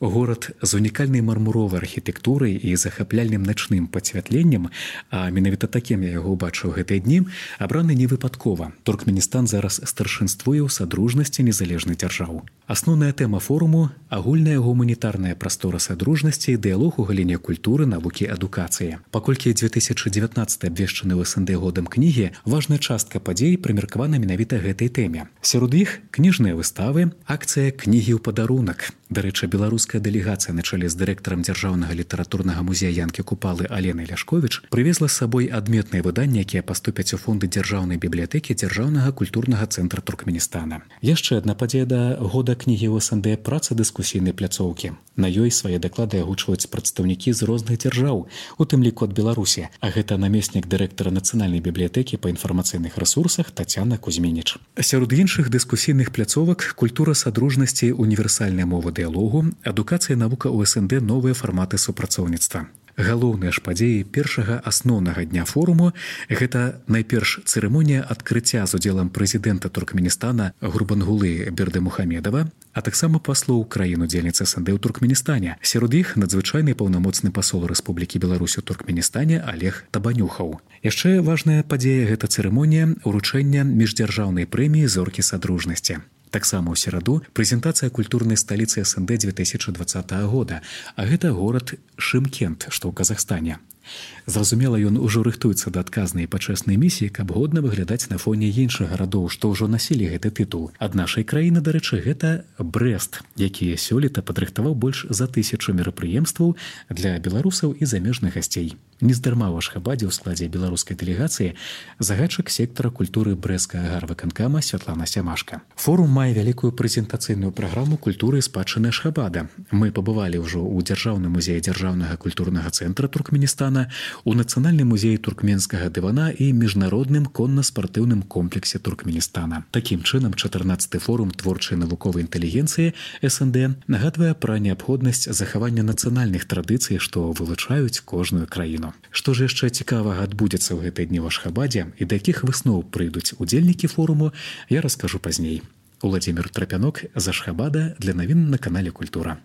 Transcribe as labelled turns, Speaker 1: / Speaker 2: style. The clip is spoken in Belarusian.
Speaker 1: Горад з унікальнай мармуровай архітэктурай і захапляльным начным пацвятленнем, а менавіта такім я яго ўбачыў гэтыя дні, абраны невыпадкова. Туркменістан зараз старшынствуе ў садружнасці незалежных дзяржаў. Асноўная тэма форуму – агульная гуманітарная прастора садружнасці і дыялог у галіне культуры, навукі, адукацыі. Паколькі 2019 абвешчаны ў СНД годам кнігі, важная частка падзей прымеркавана менавіта гэтай тэме. Сярод іх кніжныя выставы, акцыя «Кнігі ў падарунак». Дарэчы, беларуская дэлегацыя на чале з дырэктарам дзяржаўнага літаратурнага музея Янкі Купалы Аленай Ляшковіч прывезла з сабой адметныя выданні, якія паступяць у фонды дзяржаўнай бібліятэкі дзяржаўнага культурнага цэнтра Туркменістана. Яшчэ адна падзея да года кнігі ў СНД – праца дыскусійнай пляцоўкі. На ёй свае даклады агучваюць прадстаўнікі з розных дзяржаў, у тым ліку ад Беларусі, а гэта намеснік дырэктара нацыянальнай бібліятэкі па інфармацыйных рэсурсах Тацяна Кузьмініч. Сярод іншых дыскусійных пляцовак культура садружнасці, універсальная мова дыялогу, адукацыя, навука ў СНД, новыя фарматы супрацоўніцтва. Галоўныя ж падзеі першага асноўнага дня форуму – гэта найперш цырымонія адкрыцця з удзелам прэзідэнта Туркменістана Гурбангулы Бердымухамедова, а таксама паслоў краін-удзельніц СНД ў Туркменістане. Сярод іх надзвычайны паўнамоцны пасол Рэспублікі Беларусь у Туркменістане Олег Табанюхаў. Яшчэ важная падзея – гэта цырымонія ўручэння міждзяржаўнай прэміі «Зоркі садружнасці». Таксама ў сераду прэзентацыя культурнай сталіцы СНД 2020 года, а гэта горад Шымкент, што ў Казахстане. Зразумела, ён ужо рыхтуецца да адказнай і пачэснай місіі, каб годна выглядаць на фоне іншых гарадоў, што ўжо насілі гэты тытул. Ад нашай краіны, дарэчы, гэта Брэст, які сёлета падрыхтаваў больш за 1000 мерапрыемстваў для беларусаў і замежных гасцей. Нездарма ў Ашхабадзе ў складзе беларускай дэлегацыі загадчык сектара культуры Брэсцкага гарвыканкама Святлана Сямашка. Форум мае вялікую прэзентацыйную праграму культуры і спадчыны Ашхабада. Мы пабывалі ўжо ў дзяржаўным музеі дзяржаўнага культурнага цэнтра Туркменістана, у Нацыянальным музеі туркменскага дывана і міжнародным конна-спартыўным комплексе Туркменістана. Такім чынам, 14-ы форум творчай навуковай інтэлігенцыі СНД нагадвае пра неабходнасць захавання нацыянальных традыцый, што вылучаюць кожную краіну. Што ж яшчэ цікавага адбудзецца ў гэтыя дні ў Ашхабадзе і да якіх высноў прыйдуць удзельнікі форуму, я раскажу пазней. Уладзімір Трапянок з Ашхабада для навін на канале Культура.